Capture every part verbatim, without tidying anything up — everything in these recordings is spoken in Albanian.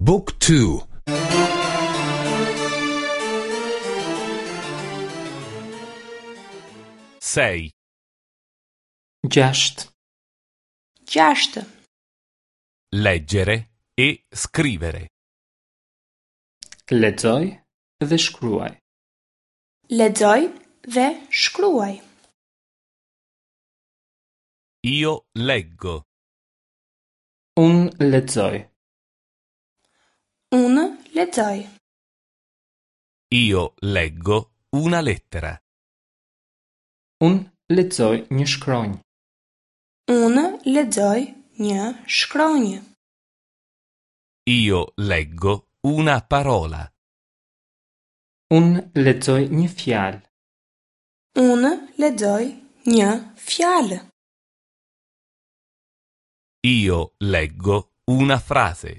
Book two. Sei. Gjashtë. Gjashtë. Leggere e scrivere. Lexoj dhe shkruaj. Lexoj dhe shkruaj. Io leggo. Unë lexoj. Unë lexoj. Io leggo una lettera. Unë lexoj një shkronjë. Unë lexoj një shkronjë. Io leggo una parola. Unë lexoj një fjalë. Unë lexoj një fjalë. Io leggo una frase.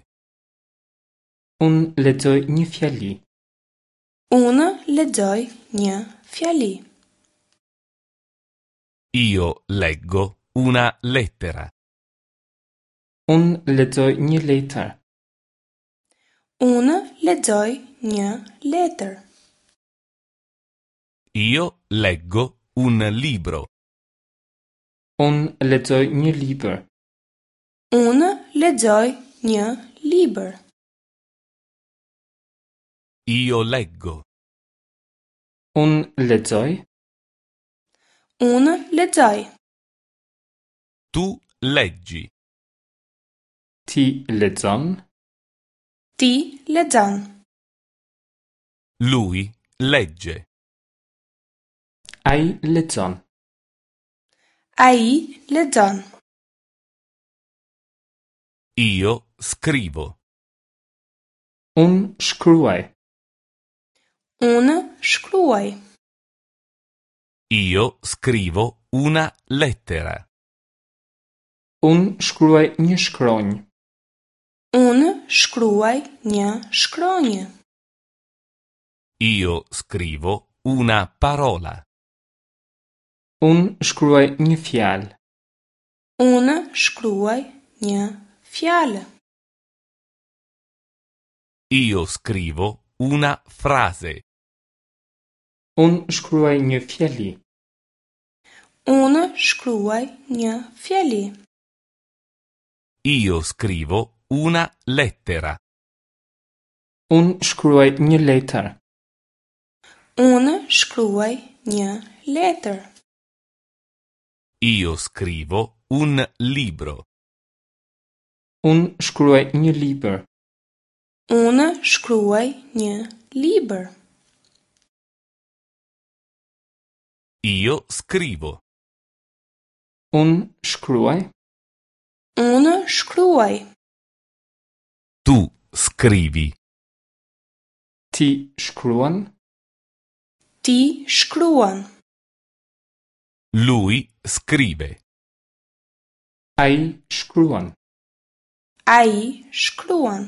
Unë lexoj një fjali. Unë lexoj një fjali. Io leggo una lettera. Unë lexoj një letër. Unë lexoj një letër. Io leggo un libro. Unë lexoj një libër. Unë lexoj një libër. Io leggo. Unë lexoj. Unë lexoj. Tu leggi. Ti lexon. Ti lexon. Lui legge. Ai lexon. Ai lexon. Io scrivo. Unë shkruaj. Unë shkruaj. Io scrivo una lettera. Unë shkruaj një shkronjë. Unë shkruaj një shkronjë. Io scrivo una parola. Unë shkruaj një fjalë. Unë shkruaj një fjalë. Io scrivo una frase. Unë shkruaj një fjali. Unë shkruaj një fjali. Io scrivo una lettera. Unë shkruaj një letër. Unë shkruaj një letër. Io scrivo un libro. Unë shkruaj një libër. Unë shkruaj një libër. Io scrivo. Unë shkruaj. Unë shkruaj. Tu scrivi. Ti shkruan. Ti shkruan. Lui scrive. Ai shkruan. Ai shkruan.